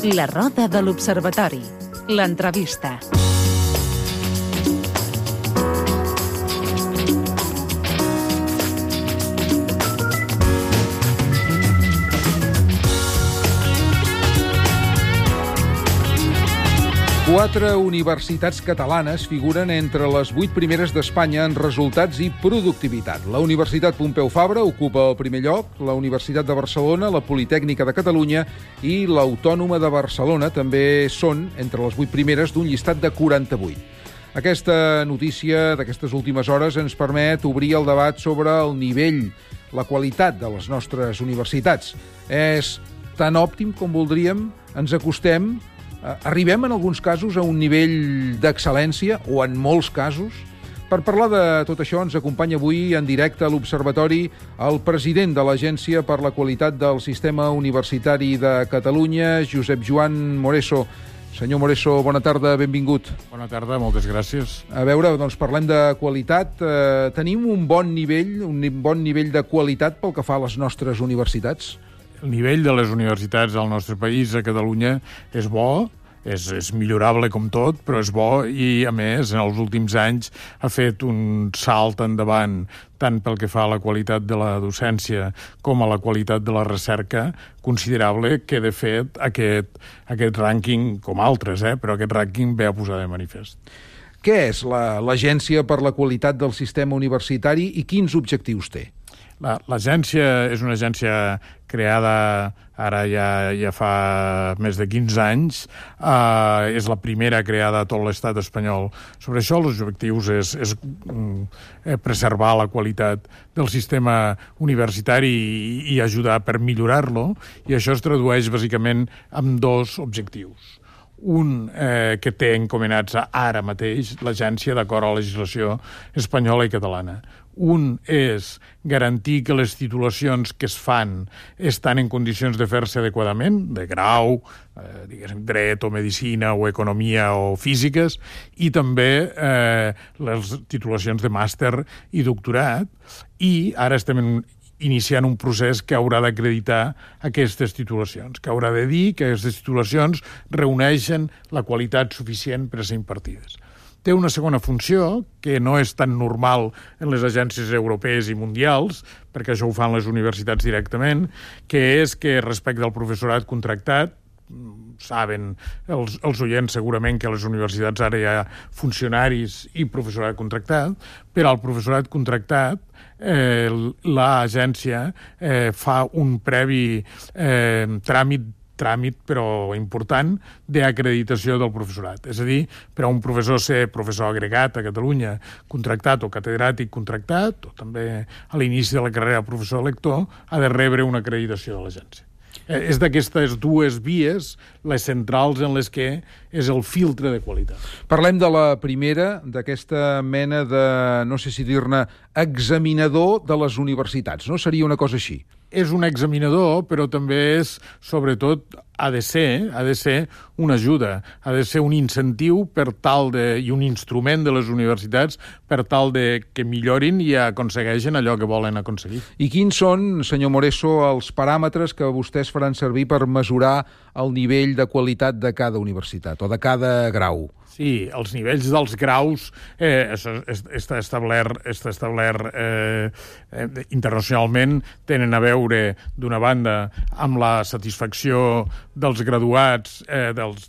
La roda de l'Observatori. L'entrevista. Quatre universitats catalanes figuren entre les 8 primeres d'Espanya en resultats i productivitat. La Universitat Pompeu Fabra ocupa el primer lloc, la Universitat de Barcelona, la Politècnica de Catalunya i l'Autònoma de Barcelona també són entre les 8 primeres d'un llistat de 48. Aquesta notícia d'aquestes últimes hores ens permet obrir el debat sobre el nivell, la qualitat de les nostres universitats. És tan òptim com voldríem? Ens acostem? Arribem en alguns casos a un nivell d'excel·lència, o en molts casos? Per parlar de tot això ens acompanya avui en directe a l'Observatori el president de l'Agència per la Qualitat del Sistema Universitari de Catalunya, Josep Joan Moreso. Senyor Moreso, bona tarda, benvingut. Bona tarda, moltes gràcies. A veure, doncs parlem de qualitat. Tenim un bon nivell de qualitat pel que fa a les nostres universitats? El nivell de les universitats al nostre país, a Catalunya, és bo, és millorable com tot, però és bo i, a més, en els últims anys ha fet un salt endavant tant pel que fa a la qualitat de la docència com a la qualitat de la recerca considerable que, de fet, aquest rànquing, com altres, però aquest rànquing ve a posar de manifest. Què és l'Agència per la Qualitat del Sistema Universitari i quins objectius té? L'agència és una agència creada ara ja fa més de 15 anys. És la primera creada a tot l'estat espanyol. Sobre això, els objectius és preservar la qualitat del sistema universitari i ajudar per millorar-lo, i això es tradueix bàsicament en dos objectius. Un que té encomanats ara mateix l'agència d'acord a la legislació espanyola i catalana. Un és garantir que les titulacions que es fan estan en condicions de fer-se adequadament, de grau, dret o medicina o economia o físiques, i també les titulacions de màster i doctorat, i ara estem iniciant un procés que haurà d'acreditar aquestes titulacions, que haurà de dir que aquestes titulacions reuneixen la qualitat suficient per a ser impartides. Té una segona funció, que no és tan normal en les agències europees i mundials, perquè això ho fan les universitats directament, que és que respecte al professorat contractat, saben els oients segurament que a les universitats ara hi ha funcionaris i professorat contractat, però al professorat contractat l'agència fa un previ tràmit, però important, d'acreditació del professorat. És a dir, per a un professor ser professor agregat a Catalunya, contractat o catedràtic contractat, o també a l'inici de la carrera professor lector, ha de rebre una acreditació de l'agència. És d'aquestes dues vies les centrals en les que és el filtre de qualitat. Parlem de la primera, d'aquesta mena de, no sé si dir-ne, examinador de les universitats, no? Seria una cosa així? És un examinador, però també és, sobretot, ha de ser una ajuda, ha de ser un incentiu i un instrument de les universitats per tal de que millorin i aconsegueixin allò que volen aconseguir. I quins són, senyor Moreso, els paràmetres que vostès faran servir per mesurar el nivell de qualitat de cada universitat o de cada grau? Sí, els nivells dels graus està establert internacionalment, tenen a veure, d'una banda, amb la satisfacció dels graduats, dels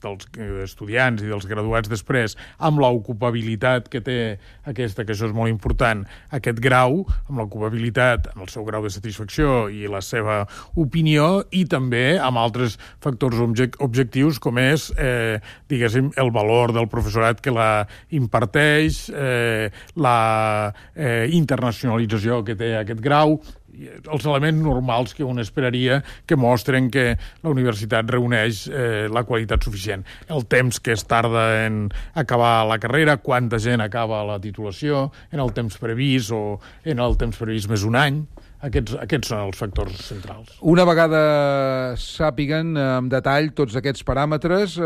estudiants i dels graduats després, amb l'ocupabilitat que té aquesta, que això és molt important, aquest grau, amb l'ocupabilitat, amb el seu grau de satisfacció i la seva opinió, i també amb altres factors objectius, com és, diguéssim, el valor del professorat que la imparteix, la internacionalització que té aquest grau, els elements normals que un esperaria que mostren que la universitat reuneix la qualitat suficient. El temps que es tarda en acabar la carrera, quanta gent acaba la titulació, en el temps previst o en el temps previst més un any. Aquests són els factors centrals. Una vegada sàpiguen en detall tots aquests paràmetres,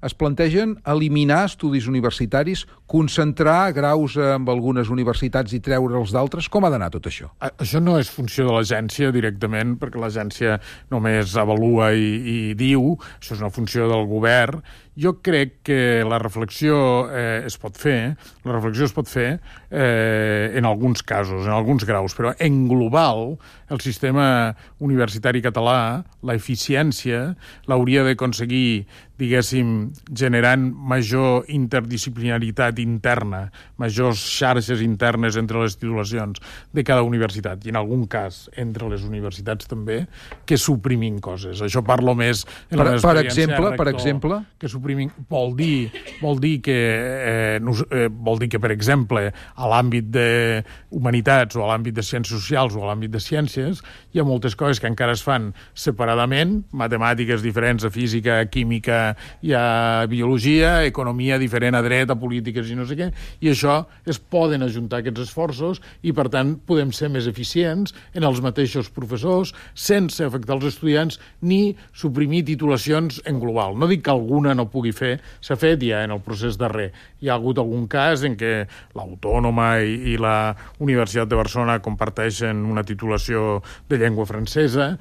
es plantegen eliminar estudis universitaris, concentrar graus amb algunes universitats i treure'ls d'altres? Com ha d'anar tot això? Això no és funció de l'agència directament, perquè l'agència només avalua i diu, això és una funció del govern. Jo crec que la reflexió es pot fer en alguns casos, en alguns graus, però en global el sistema universitari català, l'eficiència, l'hauria d'aconseguir, diguéssim, generant major interdisciplinaritat interna, majors xarxes internes entre les titulacions de cada universitat, i en algun cas entre les universitats també, que suprimint coses. Això parlo més en la meva experiència per exemple? Que suprimint vol dir que, per exemple, a l'àmbit de humanitats o a l'àmbit de ciències socials o a l'àmbit de ciències, hi ha moltes coses que encara es fan separadament, matemàtiques diferents a física, a química i a biologia, economia diferent a dret, a polítiques i no sé què, i això es poden ajuntar aquests esforços i, per tant, podem ser més eficients en els mateixos professors sense afectar els estudiants ni suprimir titulacions en global. No dic que alguna no pugui fer, s'ha fet ja en el procés darrer. Hi ha hagut algun cas en què l'Autònoma i la Universitat de Barcelona comparteixen una titulació de llengua francesa.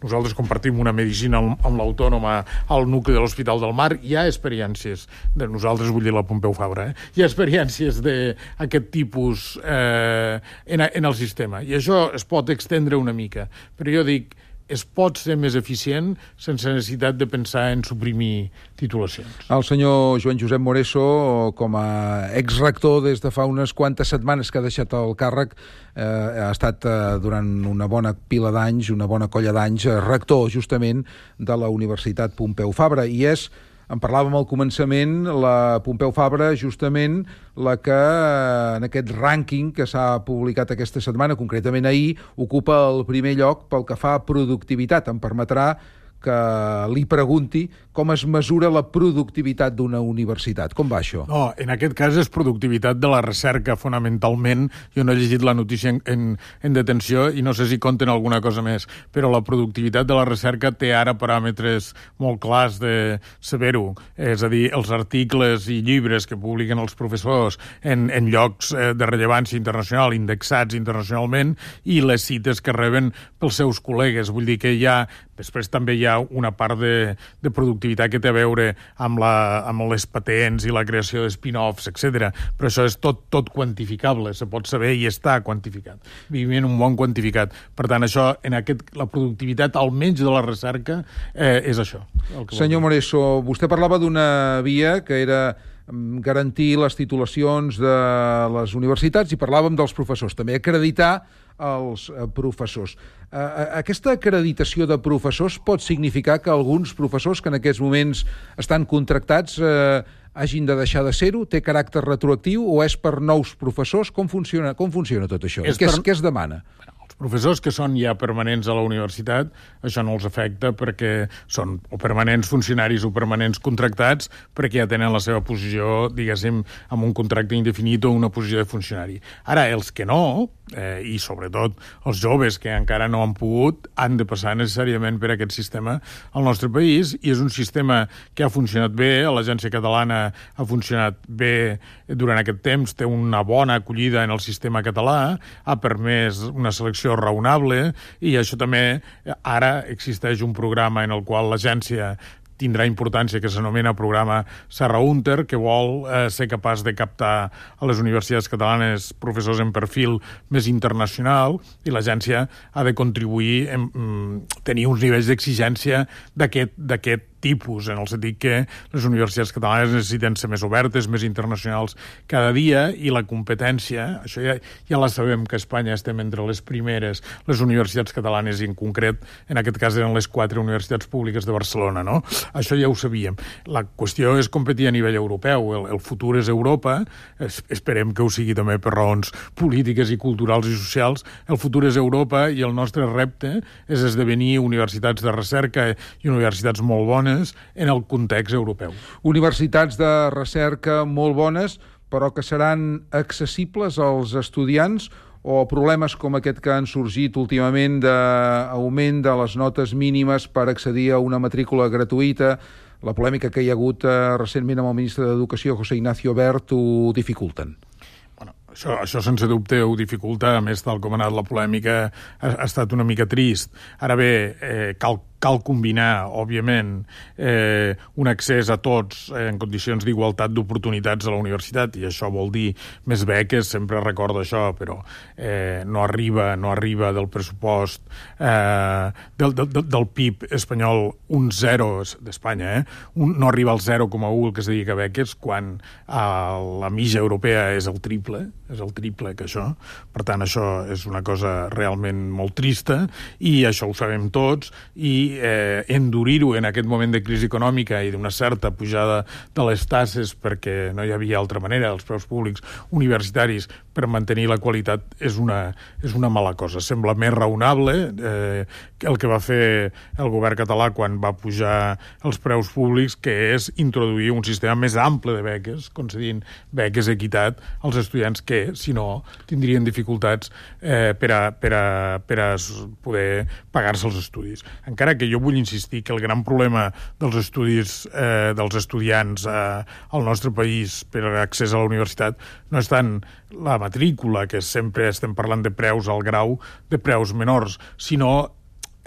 Nosaltres compartim una medicina amb l'Autònoma al nucli de l'Hospital del Mar. Hi ha experiències de nosaltres, vull dir la Pompeu Fabra, hi ha experiències d'aquest tipus en el sistema. I això es pot extendre una mica. Però jo dic, es pot ser més eficient sense necessitat de pensar en suprimir titulacions. El senyor Joan Josep Moreso, com a exrector des de fa unes quantes setmanes que ha deixat el càrrec, ha estat durant una bona pila d'anys, una bona colla d'anys, rector justament de la Universitat Pompeu Fabra, i és, en parlàvem al començament, la Pompeu Fabra, justament, la que en aquest rànquing que s'ha publicat aquesta setmana, concretament ahir, ocupa el primer lloc pel que fa a productivitat. Em permetrà que li pregunti com es mesura la productivitat d'una universitat. Com va això? No, en aquest cas és productivitat de la recerca, fonamentalment. Jo no he llegit la notícia en detenció i no sé si compten alguna cosa més, però la productivitat de la recerca té ara paràmetres molt clars de saber-ho. És a dir, els articles i llibres que publiquen els professors en llocs de rellevància internacional, indexats internacionalment, i les cites que reben pels seus col·legues. Vull dir que després també hi ha una part de productivitat que té a veure amb les patents i la creació de spin-offs, etc. Però això és tot quantificable, se pot saber i està quantificat. Vivim en un món quantificat. Per tant, això, la productivitat, almenys de la recerca, és això. Senyor Moreso, vostè parlava d'una via que era garantir les titulacions de les universitats i parlàvem dels professors, també acreditar els professors. Aquesta acreditació de professors pot significar que alguns professors que en aquests moments estan contractats hagin de deixar de ser-ho? Té caràcter retroactiu o és per nous professors? Com funciona tot això? Què es demana? Professors que són ja permanents a la universitat, això no els afecta perquè són o permanents funcionaris o permanents contractats perquè ja tenen la seva posició, diguéssim, amb un contracte indefinit o una posició de funcionari. Ara, els que no, i sobretot els joves que encara no han pogut, han de passar necessàriament per aquest sistema al nostre país, i és un sistema que ha funcionat bé, l'Agència Catalana ha funcionat bé durant aquest temps, té una bona acollida en el sistema català, ha permès una selecció raonable, i això també, ara existeix un programa en el qual l'agència tindrà importància, que s'anomena programa Serra Húnter, que vol ser capaç de captar a les universitats catalanes professors en perfil més internacional, i l'agència ha de contribuir a tenir uns nivells d'exigència d'aquest tipus, en el sentit que les universitats catalanes necessiten ser més obertes, més internacionals cada dia, i la competència, això ja la sabem que a Espanya estem entre les primeres, les universitats catalanes, i en concret, en aquest cas eren les 4 universitats públiques de Barcelona, no? Això ja ho sabíem. La qüestió és competir a nivell europeu. El futur és Europa, esperem que ho sigui també per raons polítiques i culturals i socials. El futur és Europa, i el nostre repte és esdevenir universitats de recerca i universitats molt bones en el context europeu. Universitats de recerca molt bones, però que seran accessibles als estudiants, o problemes com aquest que han sorgit últimament d'augment de les notes mínimes per accedir a una matrícula gratuïta la polèmica que hi ha hagut recentment amb el ministre d'Educació, José Ignacio Wert, ho dificulten. Bueno, això sense dubte ho dificulta, a més, tal com ha anat la polèmica, ha estat una mica trist. Ara bé, cal combinar, òbviament, un accés a tots en condicions d'igualtat d'oportunitats a la universitat, i això vol dir més beques, sempre recordo això, però no arriba del pressupost del PIB espanyol un 0 d'Espanya, no arriba al 0,1 el que es dedica a beques, quan la mitja europea és el triple que això. Per tant, això és una cosa realment molt trista, i això ho sabem tots, i endurir-ho en aquest moment de crisi econòmica i d'una certa pujada de les taxes, perquè no hi havia altra manera, els preus públics universitaris, per mantenir la qualitat, és una mala cosa. Sembla més raonable el que va fer el govern català quan va pujar els preus públics, que és introduir un sistema més ample de beques, concedint beques equitat als estudiants que, si no, tindrien dificultats per a poder pagar-se els estudis. Encara que jo vull insistir que el gran problema dels estudis dels estudiants al nostre país per a l'accés a la universitat no és tant la matrícula, que sempre estem parlant de preus al grau, de preus menors, sinó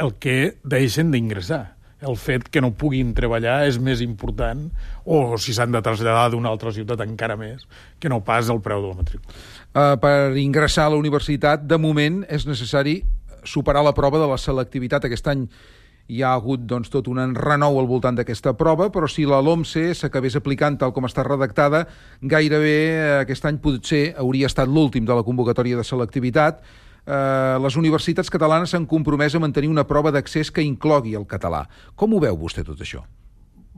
el que deixen d'ingressar. El fet que no puguin treballar és més important, o si s'han de traslladar d'una altra ciutat encara més, que no pas el preu de la matrícula. Per ingressar a la universitat, de moment, és necessari superar la prova de la selectivitat. Aquest any hi ha hagut tot un renou al voltant d'aquesta prova, però si la LOMCE s'acabés aplicant tal com està redactada, gairebé aquest any potser hauria estat l'últim de la convocatòria de selectivitat. Les universitats catalanes s'han compromès a mantenir una prova d'accés que inclogui el català. Com ho veu vostè, tot això?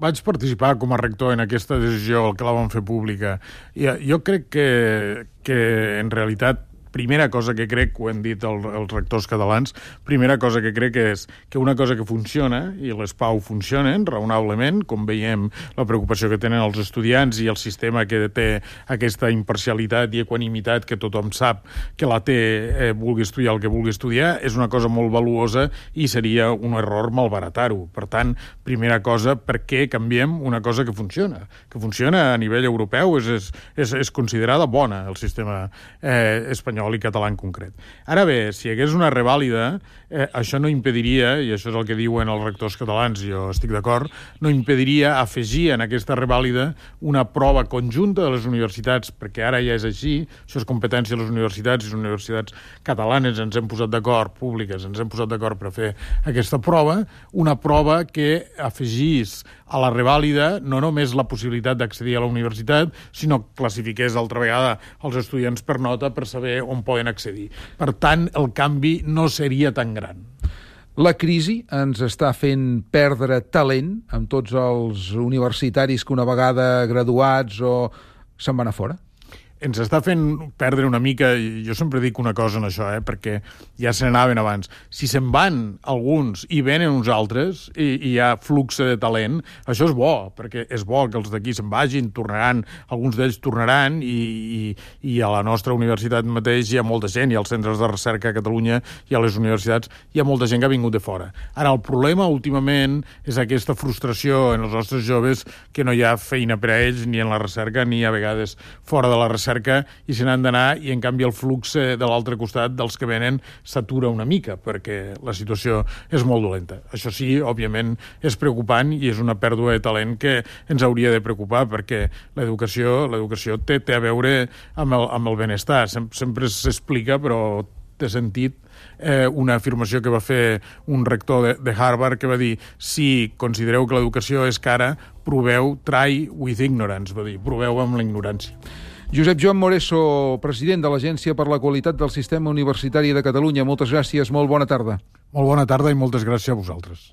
Vaig participar com a rector en aquesta decisió, el que la van fer pública. Jo crec que en realitat, primera cosa que crec, ho han dit els rectors catalans, primera cosa que crec és que una cosa que funciona, i les PAU funcionen raonablement, com veiem la preocupació que tenen els estudiants i el sistema que té aquesta imparcialitat i equanimitat que tothom sap que la té, vulgui estudiar el que vulgui estudiar, és una cosa molt valuosa i seria un error malbaratar-ho. Per tant, primera cosa, per què canviem una cosa que funciona? Que funciona a nivell europeu, és considerada bona, el sistema espanyol i català en concret. Ara bé, si hi hagués una revàlida, això no impediria, i això és el que diuen els rectors catalans, jo estic d'acord, no impediria afegir en aquesta revàlida una prova conjunta de les universitats, perquè ara ja és així, això és competència de les universitats, i les universitats catalanes ens hem posat d'acord, públiques, ens hem posat d'acord per fer aquesta prova, una prova que afegís a la revàlida no només la possibilitat d'accedir a la universitat, sinó classifiqués altra vegada els estudiants per nota per saber on poden accedir. Per tant, el canvi no seria tan gran. La crisi ens està fent perdre talent amb tots els universitaris que una vegada graduats o se'n van a fora? Ens està fent perdre una mica, i jo sempre dic una cosa en això, perquè ja se n'anaven abans. Si se'n van alguns i venen uns altres, i hi ha flux de talent, això és bo, perquè és bo que els d'aquí se'n vagin, tornaran, alguns d'ells tornaran, i a la nostra universitat mateix hi ha molta gent, i als centres de recerca a Catalunya i a les universitats hi ha molta gent que ha vingut de fora. Ara, el problema últimament és aquesta frustració en els nostres joves que no hi ha feina per a ells, ni en la recerca, ni a vegades fora de la recerca, i se n'han d'anar, i en canvi el flux de l'altre costat dels que venen s'atura una mica, perquè la situació és molt dolenta. Això sí, òbviament, és preocupant i és una pèrdua de talent que ens hauria de preocupar, perquè l'educació té a veure amb el benestar. Sempre s'explica, però té sentit una afirmació que va fer un rector de Harvard, que va dir: si considereu que l'educació és cara, proveu, try with ignorance, va dir, proveu amb la ignorància. Josep Joan Moreso, president de l'Agència per la Qualitat del Sistema Universitari de Catalunya. Moltes gràcies, molt bona tarda. Molt bona tarda i moltes gràcies a vosaltres.